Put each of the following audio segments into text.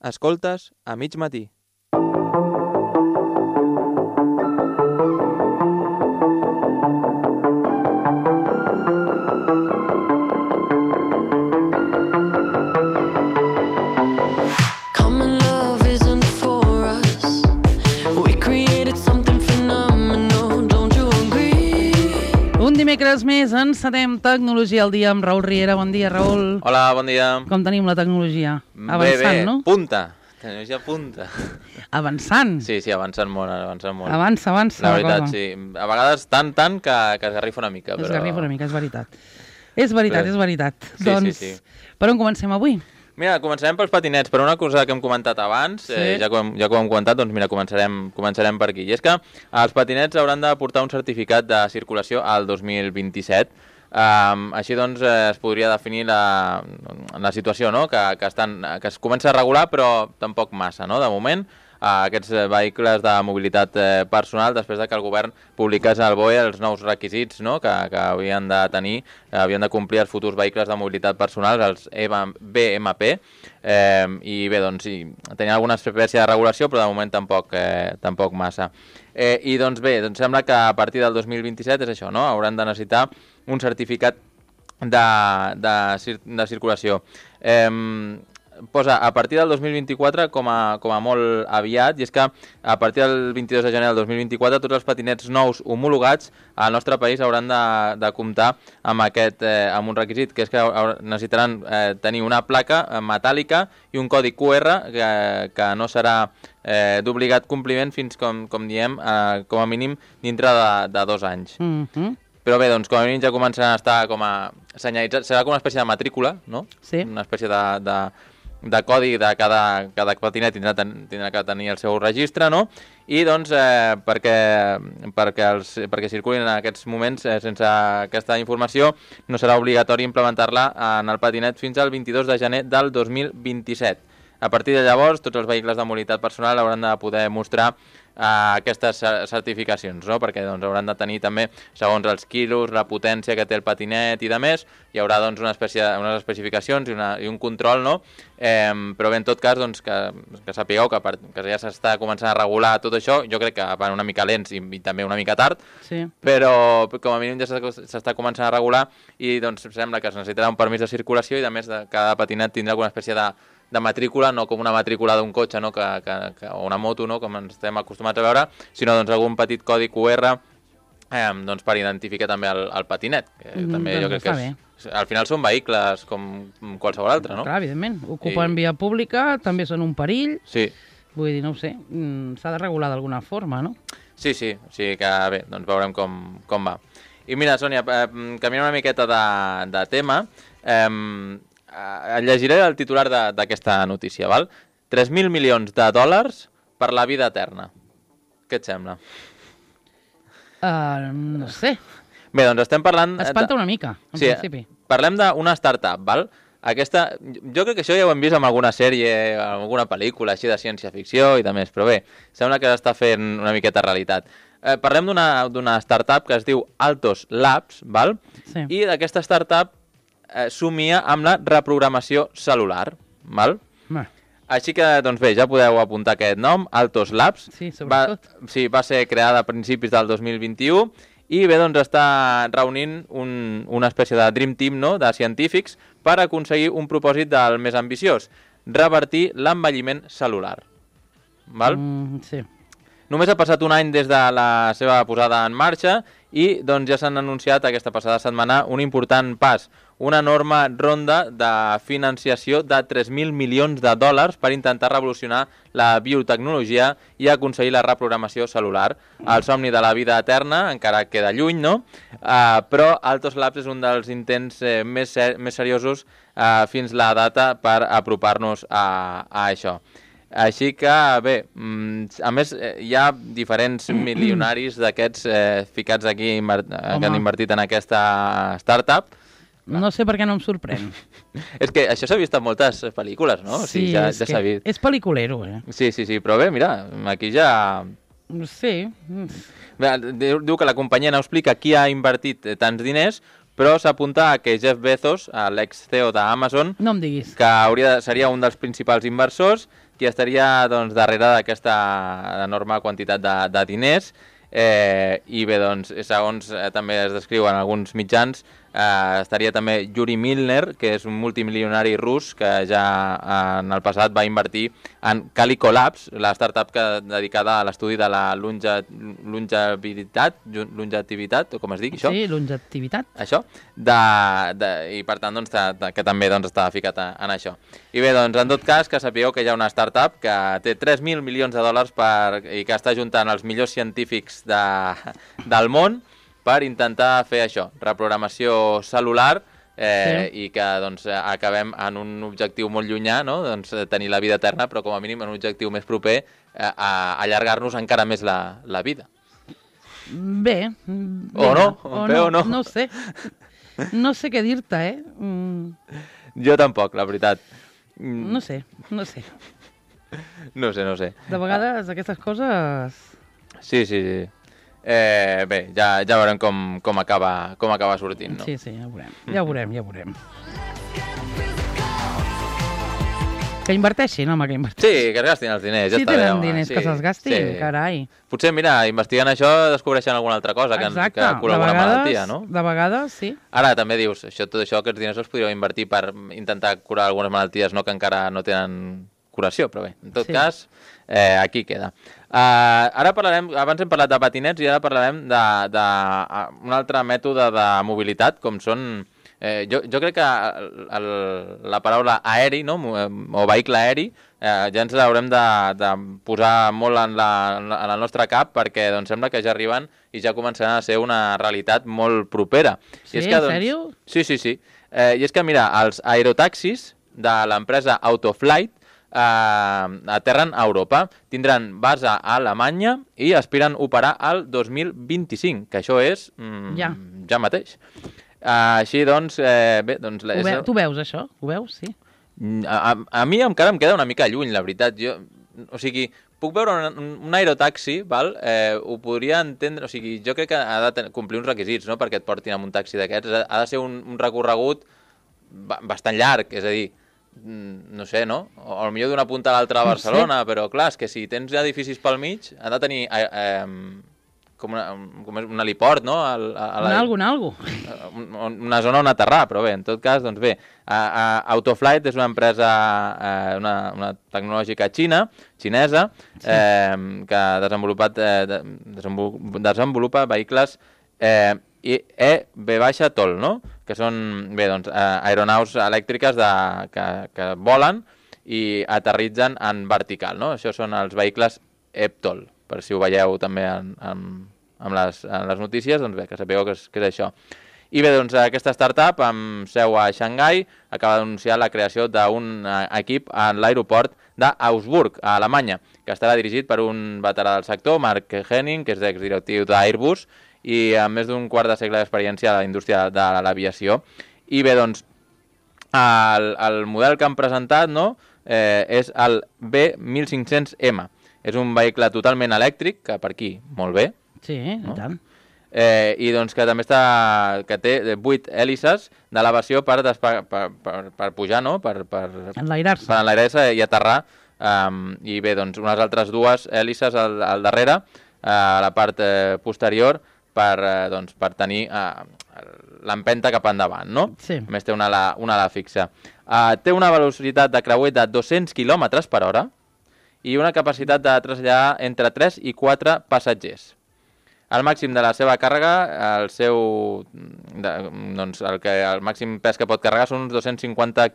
Escoltes a mig matí. Dimecres més encetem Tecnologia al dia amb Raül Riera. Bon dia, Raül. Hola, bon dia. Com tenim la tecnologia? Avançant, no? Punta. Tecnologia punta. Avançant? Sí, avançant molt, molt. Avança la veritat, cosa. Sí. A vegades tant que esgarrifa una mica. Esgarrifa una mica, és veritat. És veritat. Sí, doncs, sí. Per on comencem avui? Mira, començarem pels patinets, per una cosa que hem comentat abans, sí. ja que ho hem comentat, doncs mira, començarem per aquí. I és que els patinets hauran de portar un certificat de circulació al 2027. Així doncs es podria definir la situació, no? que es comença a regular, però tampoc massa, no? De moment, aquests vehicles de mobilitat personal, després que el govern publiqués al BOE els nous requisits, no? que havien de tenir, havien de complir els futurs vehicles de mobilitat personal, els BMP, i bé, doncs sí, tenien alguna espècie de regulació, però de moment tampoc massa. I doncs bé, doncs sembla que a partir del 2027 és això, no? Hauran de necessitar un certificat de circulació. Posa a partir del 2024 com a molt aviat, i és que a partir del 22 de gener del 2024 tots els patinets nous homologats al nostre país hauran de comptar amb un requisit, que és que necessitaran tenir una placa metàl·lica i un codi QR que no serà d'obligat compliment fins, com diem, com a mínim dintre de 2 anys. Però bé, doncs com a mínim ja començaran a estar com a senyalitzats, serà com una espècie de matrícula, no? Sí. Una espècie de codi de cada patinet tindrà que tenir el seu registre, no? I doncs perquè circulin en aquests moments sense aquesta informació no serà obligatori implementar-la en el patinet fins al 22 de gener del 2027. A partir de llavors, tots els vehicles de mobilitat personal hauran de poder mostrar aquestes certificacions, no? Perquè doncs, hauran de tenir també, segons els quilos, la potència que té el patinet i de més, hi haurà doncs, unes especificacions i un control, no? Però bé, en tot cas, doncs, que sapigueu que ja s'està començant a regular tot això, jo crec que van una mica lents i també una mica tard, sí. Però com a mínim ja s'està començant a regular i doncs sembla que es necessitarà un permís de circulació i a més cada patinet tindrà alguna espècie de matrícula, no com una matrícula d'un cotxe, no? O una moto, no? Com ens estem acostumats a veure, sinó doncs, algun petit codi QR doncs, per identificar també el patinet. Que també jo crec que al final són vehicles com qualsevol altre, no? Clar, evidentment. Ocupen via pública, també són un perill. Sí. Vull dir, no ho sé, s'ha de regular d'alguna forma, no? Sí, o sigui que bé, doncs veurem com va. I mira, Sònia, canviant una miqueta de tema, llegiré el titular d'aquesta notícia, val? 3.000 milions de dòlars per la vida eterna. Què et sembla? No sé. Bé, doncs estem parlant... Espanta una mica, en principi. Parlem d'una startup, val? Jo crec que això ja ho hem vist en alguna sèrie, en alguna pel·lícula així de ciència-ficció i de més, però bé, sembla que s'està fent una miqueta realitat. Parlem d'una startup que es diu Altos Labs, val? Sí. I d'aquesta startup somia amb la reprogramació celular, val? Així que, doncs bé, ja podeu apuntar aquest nom, Altos Labs. Sí, sobretot. Va ser creada a principis del 2021 i bé, doncs està reunint una espècie de Dream Team, no?, de científics per aconseguir un propòsit del més ambiciós, revertir l'envelliment celular. Val? Sí. Només ha passat un any des de la seva posada en marxa i doncs, ja s'han anunciat aquesta passada setmana un important pas, una enorme ronda de financiació de 3.000 milions de dòlars per intentar revolucionar la biotecnologia i aconseguir la reprogramació celular. El somni de la vida eterna encara queda lluny, no? Però Altos Labs és un dels intents més seriosos fins la data per apropar-nos a això. Així que, bé, a més, hi ha diferents milionaris d'aquests ficats aquí que han invertit en aquesta startup. No sé per què no em sorprèn. És que això s'ha vist en moltes pel·lícules, no? Sí, ja s'ha vist. És pel·liculero, Sí, però bé, mira, aquí ja... Sí. Diu que la companyia no explica qui ha invertit tants diners, però s'apunta a que Jeff Bezos, l'ex-CEO d'Amazon, no em diguis, que seria un dels principals inversors, qui estaria doncs, darrere d'aquesta enorme quantitat de diners. I bé, doncs, segons també es descriu en alguns mitjans, estaria també Yuri Milner, que és un multimilionari rus que ja en el passat va invertir en Calico Labs, la startup dedicada a l'estudi de la longevitivitat, o com es diu això? Sí, longevitivitat. Això, i per tant doncs, que també doncs, estava ficat en això. I bé, doncs, en tot cas, que sapigueu que hi ha una startup que té 3.000 milions de dòlars i que està juntant els millors científics del món per intentar fer això, reprogramació celular, i que doncs, acabem en un objectiu molt llunyà, no? Doncs, tenir la vida eterna, però com a mínim en un objectiu més proper a allargar-nos encara més la vida. Bé. O no? No sé. No sé què dir-te, Jo tampoc, la veritat. No sé. No sé. De vegades aquestes coses... Sí. Bé, ja veurem com acaba sortint, no? Sí, ja ho veurem. Que inverteixin, home, que inverteixin. Sí, que es gastin els diners, ja està bé. Si tenen diners, que se'ls gastin, carai. Potser, mira, investigant això descobreixen alguna altra cosa que cura alguna malaltia, no? De vegades, sí. Ara també dius, tot això, aquests diners els podríeu invertir per intentar curar algunes malalties que encara no tenen curació, però bé, en tot cas, aquí queda. Ara parlarem, abans hem parlat de patinets i ara parlarem d'un altre mètode de mobilitat, com són... Jo crec que la paraula aeri, no? O vehicle aeri, ja ens l'haurem de posar molt en el nostre cap perquè doncs, sembla que ja arriben i ja començaran a ser una realitat molt propera. Sí, en sèrio? Sí. I és que, mira, els aerotaxis de l'empresa Autoflight aterren a Europa, tindran base a Alemanya i aspiren operar al 2025, que això és ja mateix. Així doncs... bé, doncs tu veus això? Ho veus, sí? A mi encara em queda una mica lluny, la veritat. O sigui, puc veure un aerotaxi, val? Ho podria entendre... O sigui, jo crec que ha de complir uns requisits, no?, perquè et portin amb un taxi d'aquests. Ha de ser un recorregut bastant llarg, és a dir, no sé, no? O potser d'una punta a l'altra a Barcelona, però clar, és que si tens edificis pel mig, ha de tenir com un heliport, no? Una zona on aterrar, però bé, en tot cas, doncs bé, Autoflight és una empresa, una tecnològica xinesa, que desenvolupa vehicles EV-TOL, no? Que són, bé, doncs, aeronaus elèctriques que volen i aterritzen en vertical, no? Això són els vehicles EV-TOL, per si ho veieu també en les notícies, doncs bé, que sapigueu que és això. I bé, doncs aquesta startup, amb seu a Xangai, acaba d'anunciar la creació d'un equip a l'aeroport d'Augsburg, a Alemanya, que estarà dirigit per un veterà del sector, Mark Henning, que és exdirectiu d'Airbus, i amb més d'un quart de segle d'experiència a la indústria de l'aviació. I bé, doncs, el model que han presentat, no?, és el B1500M. És un vehicle totalment elèctric, que per aquí, molt bé. Sí, no? I tant. I doncs que també que té 8 hèlices d'elevació per pujar, no?, per enlairar-se i aterrar. I bé, doncs, unes altres 2 hèlices al darrere, a la part posterior, per tenir l'empenta cap endavant, no? Sí. A més, té una ala fixa. Té una velocitat de creuer de 200 km per hora i una capacitat de traslladar entre 3 i 4 passatgers. El màxim de la seva càrrega, el màxim pes que pot carregar són uns 250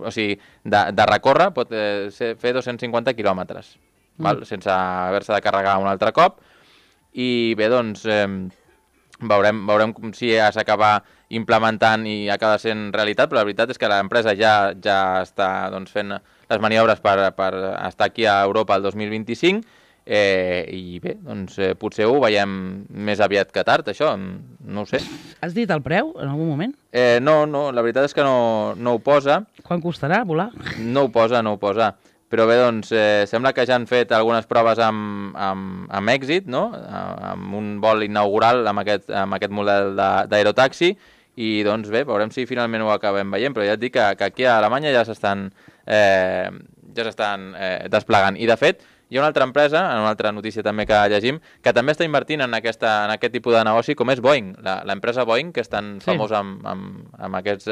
o sigui, de recórrer pot fer 250 quilòmetres, sense haver-se de carregar un altre cop. I bé, doncs, veurem si ja s'acaba implementant i acaba sent realitat, però la veritat és que l'empresa ja està fent les maniobres per estar aquí a Europa el 2025, i bé, doncs potser ho veiem més aviat que tard, això, no ho sé. Has dit el preu en algun moment? No, la veritat és que no ho posa. Quan costarà volar? No ho posa. Però bé, doncs, sembla que ja han fet algunes proves amb èxit, no?, amb un vol inaugural amb aquest model d'aerotaxi, i doncs bé, veurem si finalment ho acabem veient, però ja et dic que aquí a Alemanya ja s'estan ja s'estan desplegant. I, de fet, hi ha una altra empresa, en una altra notícia també que llegim, que també està invertint en aquest tipus de negoci, com és Boeing. L'empresa Boeing, que és tan famosa amb els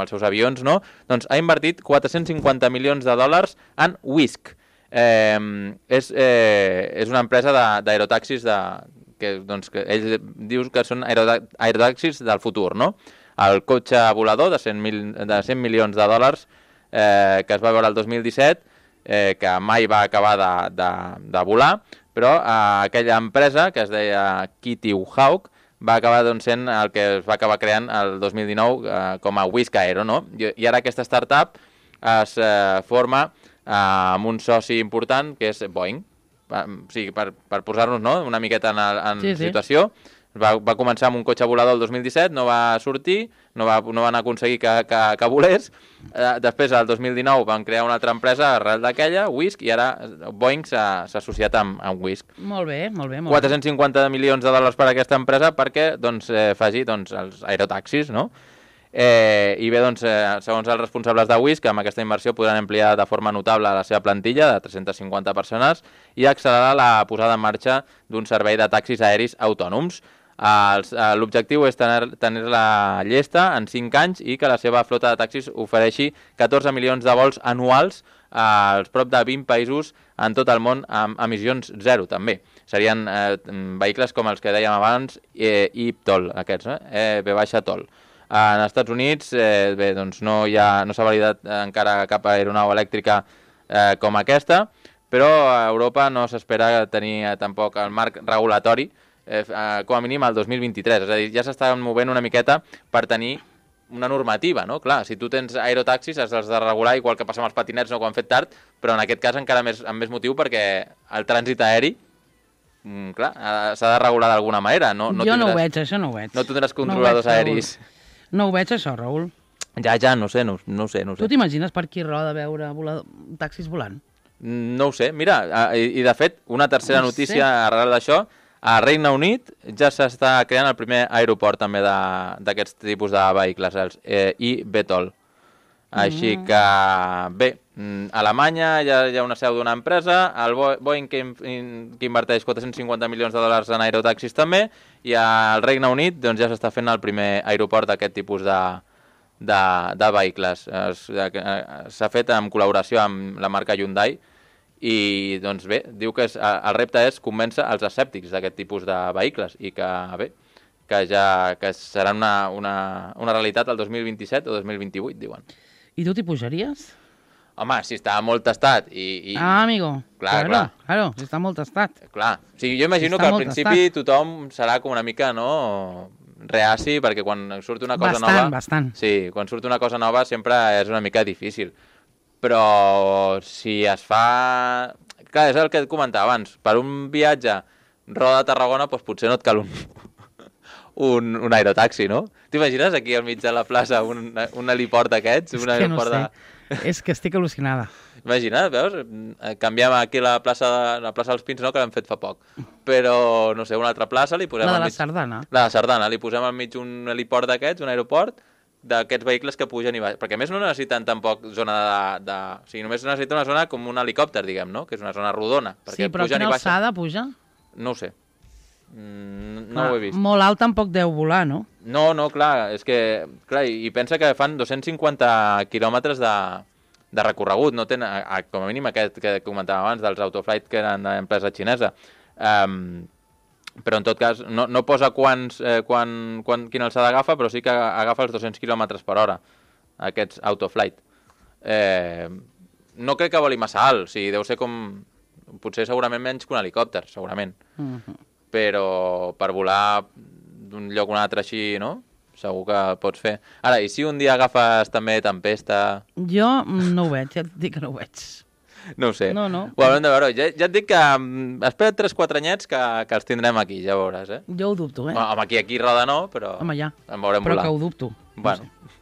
seus avions, no? Doncs ha invertit 450 milions de dòlars en Wisk. És una empresa d'aerotaxis que ells dius que són aerotaxis del futur, no? El cotxe volador de 100 milions de dòlars que es va veure el 2017, que mai va acabar de volar, però aquella empresa, que es deia Kitty Hawk, va acabar sent el que es va acabar creant el 2019 com a Wisk Aero, no? I ara aquesta startup es forma amb un soci important, que és Boeing. O sigui, per posar-nos una miqueta en situació, va començar amb un cotxe volador el 2017, no va sortir, no van aconseguir que volés. Després, el 2019, van crear una altra empresa arrel d'aquella, Wisk, i ara Boeing s'ha associat amb Wisk. Molt bé. 450 milions de dòlars per a aquesta empresa perquè faci els aerotaxis, no? I bé, segons els responsables de Wisk, amb aquesta inversió podran ampliar de forma notable la seva plantilla de 350 persones i accelerar la posada en marxa d'un servei de taxis aeris autònoms. L'objectiu és tenir-la llesta en 5 anys i que la seva flota de taxis ofereixi 14 milions de vols anuals als prop de 20 països en tot el món amb emissions zero, també. Serien vehicles com els que dèiem abans, eVTOL, aquests, V-TOL. En Estats Units no s'ha validat encara cap aeronau elèctrica com aquesta, però a Europa no s'espera tenir tampoc el marc regulatori com a mínim el 2023, és a dir, ja s'estan movent una miqueta per tenir una normativa, no? Clar, si tu tens aerotaxis has de regular, igual que passa amb els patinets, no, que ho han fet tard, però en aquest cas encara amb més motiu perquè el trànsit aeri, clar, s'ha de regular d'alguna manera. Jo no ho veig, això no ho veig. No tindràs controladors aeris. No ho veig, això, Raül. Ja, no sé. Tu t'imagines per aquí roda veure taxis volant? No ho sé, mira, i de fet, una tercera notícia arrel d'això, a Regne Unit ja s'està creant el primer aeroport també d'aquests tipus de vehicles, els eVTOL. Així que, bé, a Alemanya ja hi ha una seu d'una empresa, el Boeing que inverteix 450 milions de dòlars en aerotaxis també, i al Regne Unit ja s'està fent el primer aeroport d'aquest tipus de vehicles. S'ha fet en col·laboració amb la marca Hyundai, i doncs bé, diu que el repte és convèncer els escèptics d'aquest tipus de vehicles i que serà una realitat el 2027 o 2028, diuen. I tu t'hi pujaries? Home, si està molt tastat amigo, claro, si està molt tastat. Clar, o sigui, jo imagino que al principi tothom serà com una mica, no, reaci, perquè quan surt una cosa nova... Bastant. Sí, quan surt una cosa nova sempre és una mica difícil. Però si es fa... Clar, és el que et comentava abans. Per un viatge Roda de Tarragona, doncs potser no et cal un aerotaxi, no? T'imagines aquí al mig de la plaça un heliport d'aquests? És que no sé. És que estic al·lucinada. Imagina't, veus? Canviem aquí la plaça dels Pins, no?, que l'hem fet fa poc. Però, no sé, una altra plaça li posem... La de la Sardana. La de Sardana. Li posem al mig un heliport d'aquests, un aeroport, d'aquests vehicles que pugen i baixen. Perquè a més no necessiten tampoc zona o sigui, només necessita una zona com un helicòpter, diguem, no? Que és una zona rodona. Sí, però quina alçada puja? No ho sé. No ho he vist. Molt alt tampoc deu volar, no? No, clar, és que... Clar, i pensa que fan 250 quilòmetres de recorregut. No tenen, com a mínim aquest que comentàvem abans, dels Autoflight, que eren d'empresa xinesa. Però en tot cas no posa quina alçada agafa, però sí que agafa els 200 km per hora, aquests Autoflight. No crec que voli massa alt, o sigui, deu ser com... Potser segurament menys que un helicòpter, segurament. Però per volar d'un lloc a un altre així, no? Segur que pots fer. Ara, i si un dia agafes també tempesta... Jo no ho veig, ja et dic que no ho veig. No ho sé. No. Ho haurem de veure. Ja et dic que espera't 3-4 anyets que els tindrem aquí, ja veuràs, eh? Jo ho dubto, eh? Home, aquí roda no, però... Home, ja. En veurem volar. Però que ho dubto. Bueno. No sé.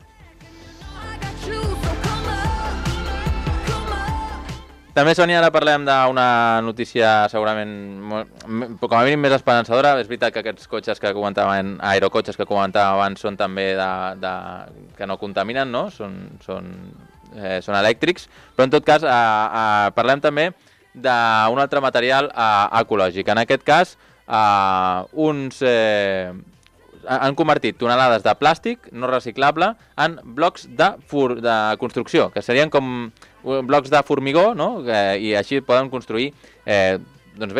També, Sònia, ara parlem d'una notícia segurament com a mínim més esperançadora. És veritat que aquests cotxes que comentaven, aerocotxes que comentàvem abans, són també que no contaminen, no? són elèctrics, però en tot cas parlem també d'un altre material ecològic. En aquest cas, han convertit tonelades de plàstic no reciclable en blocs de construcció, que serien com blocs de formigó, no? I així poden construir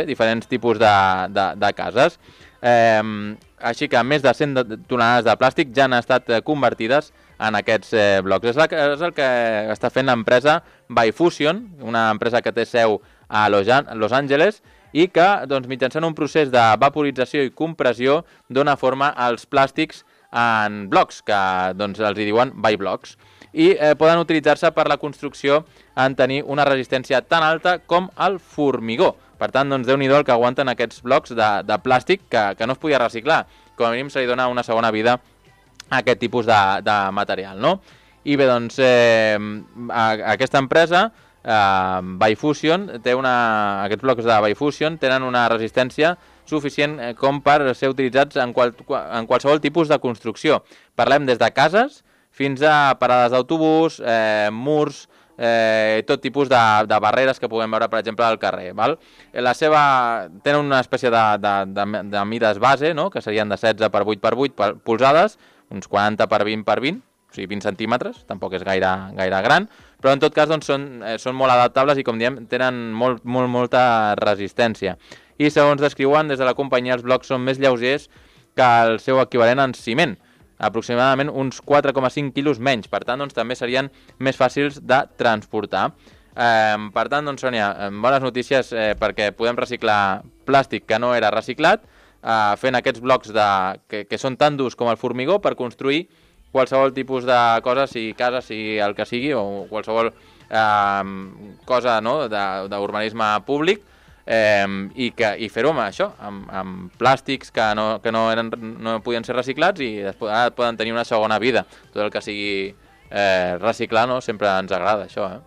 diferents tipus de cases. Així que més de 100 tonelades de plàstic ja han estat convertides en aquests blocs. És el que està fent l'empresa Bifusion, una empresa que té seu a Los Angeles, i que mitjançant un procés de vaporització i compressió dona forma als plàstics en blocs, que els hi diuen biblocks, i poden utilitzar-se per la construcció en tenir una resistència tan alta com el formigó. Per tant, Déu-n'hi-do el que aguanten aquests blocs de plàstic que no es podia reciclar. Com a mínim se li dona una segona vida a aquest tipus de material, no? I bé, aquesta empresa, Bifusion, aquests blocs de Bifusion tenen una resistència suficient com per ser utilitzats en qualsevol tipus de construcció. Parlem des de cases fins a parades d'autobús, murs, tot tipus de barreres que puguem veure, per exemple, al carrer. Val? Tenen una espècie de mides base, no? Que serien de 16 per 8 per 8 polzades, uns 40 per 20 per 20, o sigui 20 centímetres, tampoc és gaire gran, però en tot cas són molt adaptables i, com diem, tenen molta resistència. I segons descriuen des de la companyia, els blocs són més lleugers que el seu equivalent en ciment, aproximadament uns 4,5 quilos menys, per tant, també serien més fàcils de transportar. Per tant, Sònia, bones notícies perquè podem reciclar plàstic que no era reciclat, fent aquests blocs que són tan durs com el formigó per construir qualsevol tipus de cosa, sigui casa, sigui el que sigui, o qualsevol cosa d'urbanisme públic, i fer-ho amb això, amb plàstics que no podien ser reciclats i després poden tenir una segona vida. Tot el que sigui reciclar, no? Sempre ens agrada això,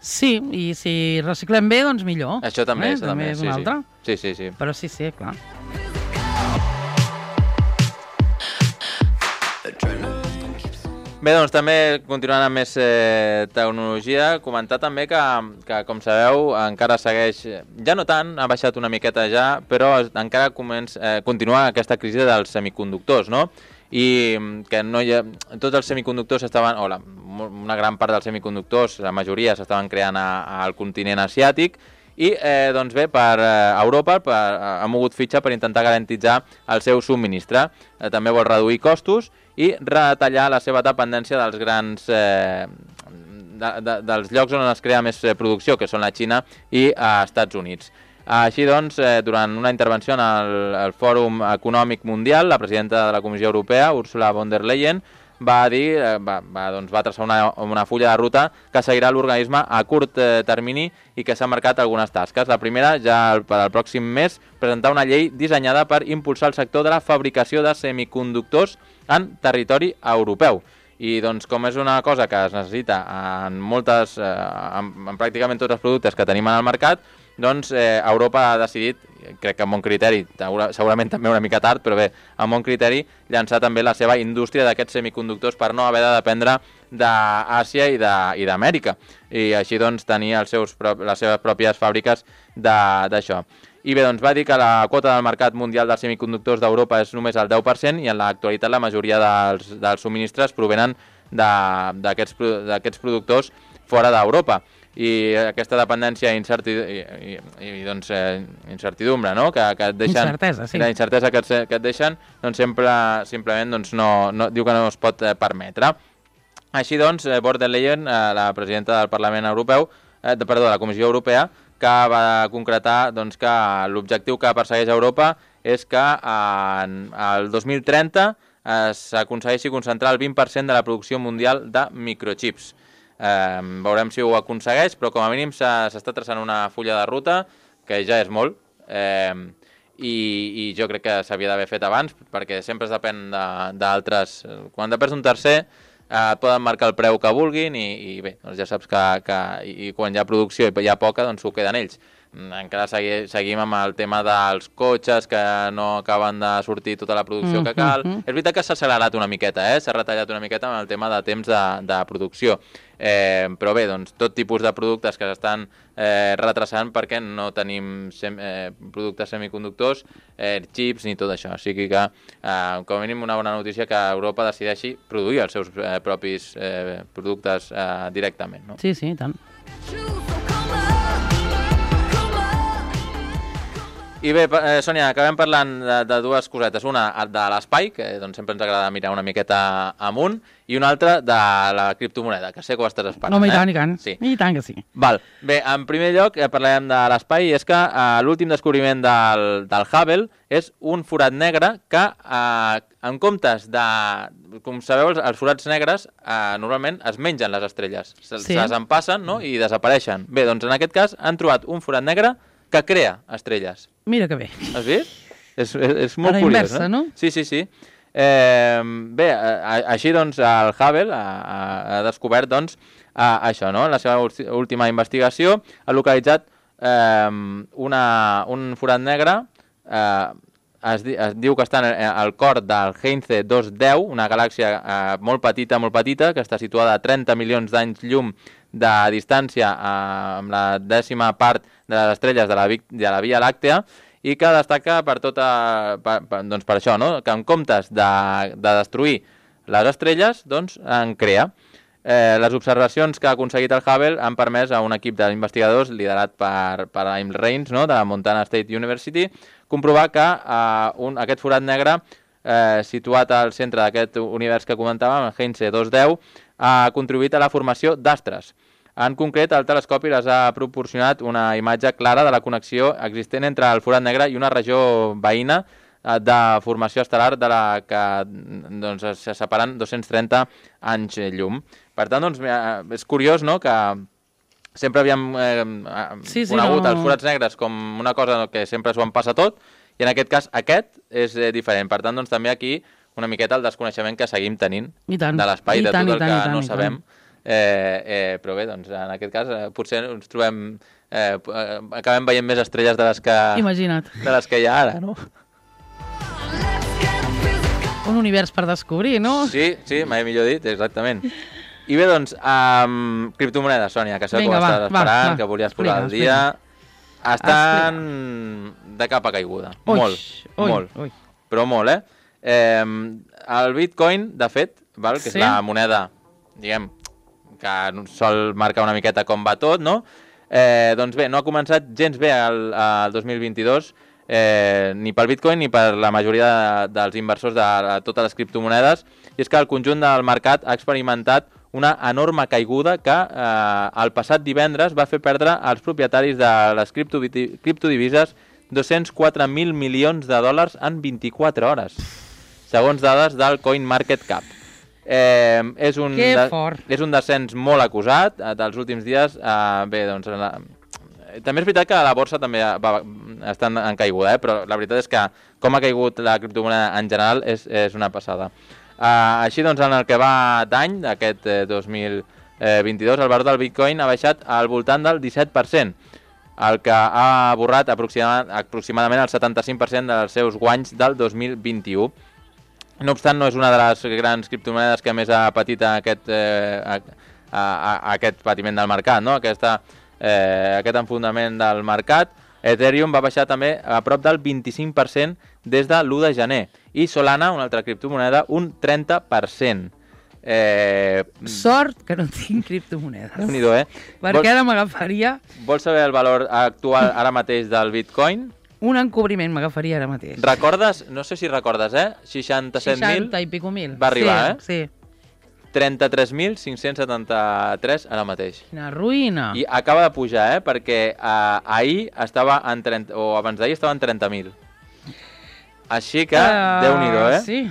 Sí, i si reciclem bé, doncs millor. Això també, també és una altra. Sí. Però sí, clar. Bé, també continuant amb més tecnologia, comentar també que, com sabeu, encara segueix, ja no tant, ha baixat una miqueta ja, però encara continua aquesta crisi dels semiconductors, no? I que tots els semiconductors una gran part dels semiconductors, la majoria s'estaven creant al continent asiàtic, i per Europa ha mogut fitxa per intentar garantitzar el seu subministre. També vol reduir costos i retallar la seva dependència dels grans dels llocs on es crea més producció, que són la Xina i els Estats Units. Així durant una intervenció al Fòrum Econòmic Mundial, la presidenta de la Comissió Europea, Ursula von der Leyen, va traçar una fulla de ruta que seguirà l'organisme a curt termini i que s'ha marcat algunes tasques. La primera, ja per al pròxim mes, presentar una llei dissenyada per impulsar el sector de la fabricació de semiconductors en territori europeu. I com és una cosa que es necessita en pràcticament tots els productes que tenim en el mercat, Europa ha decidit, crec que amb bon criteri, segurament també una mica tard, però bé, amb bon criteri, llançar també la seva indústria d'aquests semiconductors per no haver de dependre d'Àsia i d'Amèrica, i així tenir les seves pròpies fàbriques d'això. I bé, va dir que la quota del mercat mundial dels semiconductors d'Europa és només el 10% i en l'actualitat la majoria dels subministres provenen d'aquests productors fora d'Europa. I aquesta dependència i incertidumbre, no? Que et deixen, incertesa, sí. La incertesa que et deixen, simplement diu que no es pot permetre. Així von der Leyen, la presidenta del Parlament Europeu, de la Comissió Europea, que va concretar que l'objectiu que persegueix Europa és que el 2030 s'aconsegueixi concentrar el 20% de la producció mundial de microchips. Veurem si ho aconsegueix, però com a mínim s'està traçant una fulla de ruta, que ja és molt, i jo crec que s'havia d'haver fet abans, perquè sempre es depèn d'altres. Quan depens d'un tercer, et poden marcar el preu que vulguin i bé, ja saps que quan hi ha producció i hi ha poca, s'ho queden ells. encara seguim amb el tema dels cotxes que no acaben de sortir tota la producció que cal. És veritat que s'ha accelerat una miqueta, s'ha retallat una miqueta amb el tema de temps de producció. Però bé, doncs, tot tipus de productes que s'estan retrasant perquè no tenim productes semiconductors, xips ni tot això. O sigui que, com a mínim, una bona notícia que Europa decideixi produir els seus propis productes directament. No? Sí, i tant. I bé, Sònia, acabem parlant de dues cosetes. Una de l'espai, que doncs, sempre ens agrada mirar una miqueta amunt, i una altra de la criptomoneda, que sé que ho estàs esperant. Home, i tant, i tant. Sí. I tant que sí. Val. Bé, en primer lloc parlarem de l'espai, i és que l'últim descobriment del Hubble és un forat negre que, en comptes de... Com sabeu, els forats negres normalment es mengen les estrelles. Se'ls empassen, no?, i desapareixen. Bé, doncs en aquest cas han trobat un forat negre que crea estrelles. Mira que bé. Has vist? És molt curiós, inversa, no? Sí. Bé, així doncs el Hubble ha descobert doncs això, no? La seva última investigació ha localitzat un forat negre, es diu que està al cor del Heinze 210, una galàxia molt petita, que està situada a 30 milions d'anys llum de distància amb la 10ª part de les estrelles de la Via Làctea, i que destaca per això, no? Que en comptes de destruir les estrelles, doncs en crea. Les observacions que ha aconseguit el Hubble han permès a un equip d'investigadors liderat per Aim Raines, no?, de la Montana State University, comprovar que aquest forat negre situat al centre d'aquest univers que comentàvem, el Heinze 210, ha contribuït a la formació d'astres. En concret, el telescopi les ha proporcionat una imatge clara de la connexió existent entre el forat negre i una regió veïna de formació estel·lar de la que doncs, se separen 230 anys llum. Per tant, doncs, és curiós, no?, que sempre havíem conegut els forats negres com una cosa que sempre s'ho en passa tot, i en aquest cas aquest és diferent. Per tant, doncs, també aquí una miqueta el desconeixement que seguim tenint de l'espai, de tot el que no sabem. Però bé, doncs, en aquest cas potser ens trobem acabem veient més estrelles de les que hi ha ara, no? Un univers per descobrir, no? Sí, mai millor dit, exactament. I bé, doncs, criptomonedes, Sònia, que sabeu que ho estàs esperant, que volies posar al dia. Estan de capa caiguda. Molt. Però molt, el Bitcoin, de fet, que és la moneda, diguem, que sol marcar una miqueta com va tot, no? Doncs bé, no ha començat gens bé el 2022, ni pel Bitcoin ni per la majoria dels inversors de totes les criptomonedes, i és que el conjunt del mercat ha experimentat una enorme caiguda que el passat divendres va fer perdre als propietaris de les criptodivises 204.000 milions de dòlars en 24 hores, segons dades del CoinMarketCap. És un descens molt acusat dels últims dies. Bé, doncs, també és veritat que la borsa també està en caiguda, però la veritat és que com ha caigut la criptomoneda en general és una passada. Així doncs, en el que va d'any, d'aquest 2022, el valor del Bitcoin ha baixat al voltant del 17%, el que ha borrat aproximadament el 75% dels seus guanys del 2021. No obstant, no és una de les grans criptomonedes que més ha patit aquest patiment del mercat, no? Aquest enfondament del mercat. Ethereum va baixar també a prop del 25% des de l'1 de gener. I Solana, una altra criptomoneda, un 30%. Sort que no tinc criptomonedes. Déu-n'hi-do, Perquè ara m'agafaria... Vols saber el valor actual ara mateix del Bitcoin? Un encobriment m'agafaria ara mateix. Recordes? No sé si recordes, 67.000? 60 i pico mil. Va arribar, sí. 33.573 ara mateix. Quina ruïna. I acaba de pujar, perquè ahir estava en 30, o abans d'ahir estava en 30.000. Així que, Déu-n'hi-do, Sí.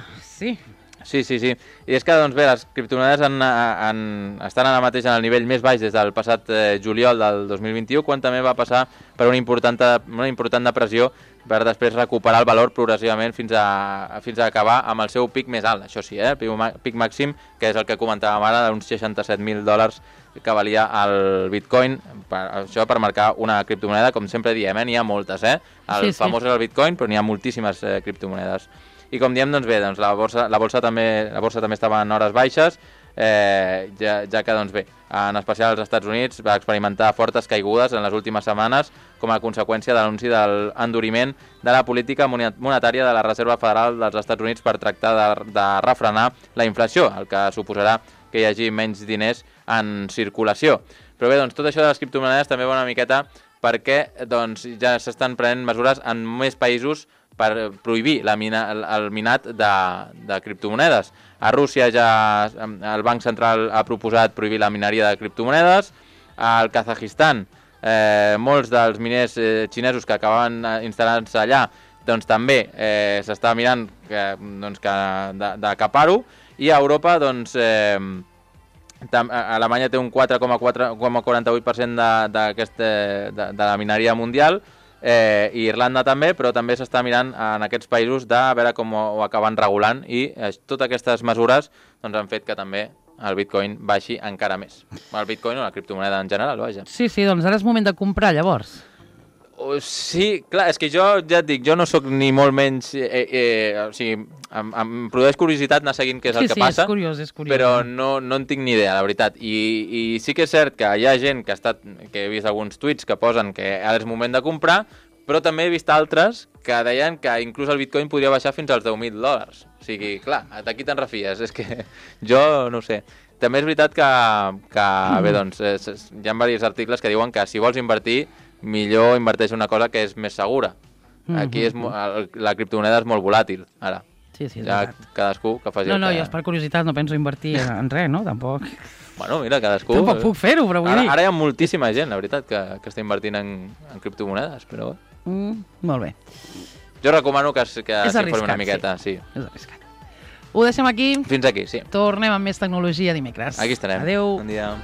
Sí. I és que, doncs bé, les criptomonedes estan ara mateix en el nivell més baix des del passat juliol del 2021, quan també va passar per una important depressió per després recuperar el valor progressivament fins a acabar amb el seu pic més alt, això sí, pic màxim, que és el que comentàvem ara, d'uns $67.000 que valia el Bitcoin, això per marcar una criptomoneda, com sempre diem, n'hi ha moltes, el famós és el Bitcoin, però n'hi ha moltíssimes criptomonedes. I com diem, doncs bé, la borsa també estava en hores baixes, ja que, doncs bé, en especial als Estats Units va experimentar fortes caigudes en les últimes setmanes com a conseqüència de l'anunci de l'enduriment de la política monetària de la Reserva Federal dels Estats Units per tractar de refrenar la inflació, el que suposarà que hi hagi menys diners en circulació. Però bé, doncs tot això de les criptomonedes també va una miqueta perquè doncs, ja s'estan prenent mesures en més països per prohibir el minat de criptomonedes. A Rússia ja el Banc Central ha proposat prohibir la mineria de criptomonedes. Al Kazajistan, molts dels miners xinesos que acabaven instal·lant-se allà doncs, també s'està mirant d'acapar-ho. I a Europa, doncs, Alemanya té un 4,48% de la mineria mundial, i Irlanda també, però també s'està mirant en aquests països de veure com ho acaben regulant, i totes aquestes mesures doncs, han fet que també el Bitcoin baixi encara més. El Bitcoin o la criptomoneda en general, vaja. Sí, doncs ara és moment de comprar, llavors. Sí, clar, és que jo ja et dic, jo no sóc ni molt menys... o sigui, em produeix curiositat anar seguint què és el que passa, és curiós. Però no en tinc ni idea, la veritat. I sí que és cert que hi ha gent que he vist alguns tuits que posen que ara és moment de comprar, però també he vist altres que deien que inclús el Bitcoin podria baixar fins als $10.000. O sigui, clar, d'aquí te'n refies. És que jo no ho sé. També és veritat que bé, doncs, hi ha diversos articles que diuen que si vols invertir, millor inverteix una cosa que és més segura. Aquí la criptomoneda és molt volàtil, ara. Sí, ja cadascú que faci jo és per curiositat, no penso invertir en res, no? Tampoc. Bueno, mira, cadascú... Tampoc puc fer-ho, però vull dir... Ara hi ha moltíssima gent, la veritat, que està invertint en criptomonedes, però... Molt bé. Jo recomano que s'informi una miqueta, sí. És arriscat. Ho deixem aquí. Fins aquí, sí. Tornem amb més tecnologia dimecres. Aquí estarem. Adéu. Bon dia.